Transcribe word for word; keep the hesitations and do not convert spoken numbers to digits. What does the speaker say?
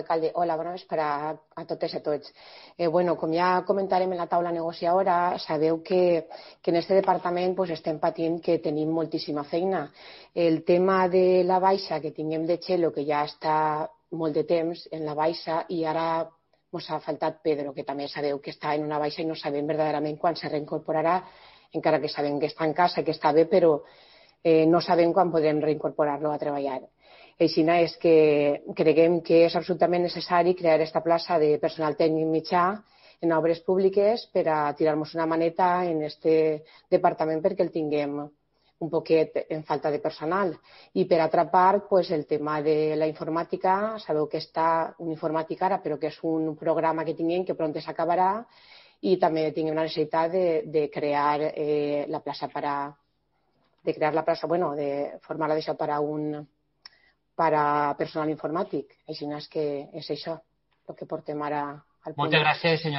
Alcalde, hola, bona vesprà a totes i a tots. Eh, bueno, com ja comentarem en la taula negociadora, sabeu que, que en este departament pues, estem patint que tenim moltíssima feina. El tema de la baixa que tinguem de Txelo, que ja està molt de temps en la baixa, i ara ens ha faltat Pedro, que també sabeu que està en una baixa i no sabem verdaderament quan se reincorporarà, encara que sabem que està en casa, que està bé, però eh, no sabem quan podrem reincorporar-lo a treballar. Així és que creguem que és absolutament necessari crear aquesta plaça de personal tècnic mitjà en obres públiques per a tirar-nos una maneta en aquest departament perquè el tinguem un poquet en falta de personal. I per altra part, pues, el tema de la informàtica, sabeu que està un informàtic ara, però que és un programa que tinguem que pront s'acabarà, i també tinguem la necessitat de, de crear eh, la plaça per a de crear la plaça, bueno, de formar-la d'això per a un per a personal informàtic. Així és que és això el que portem ara al punt. Moltes gràcies, senyor.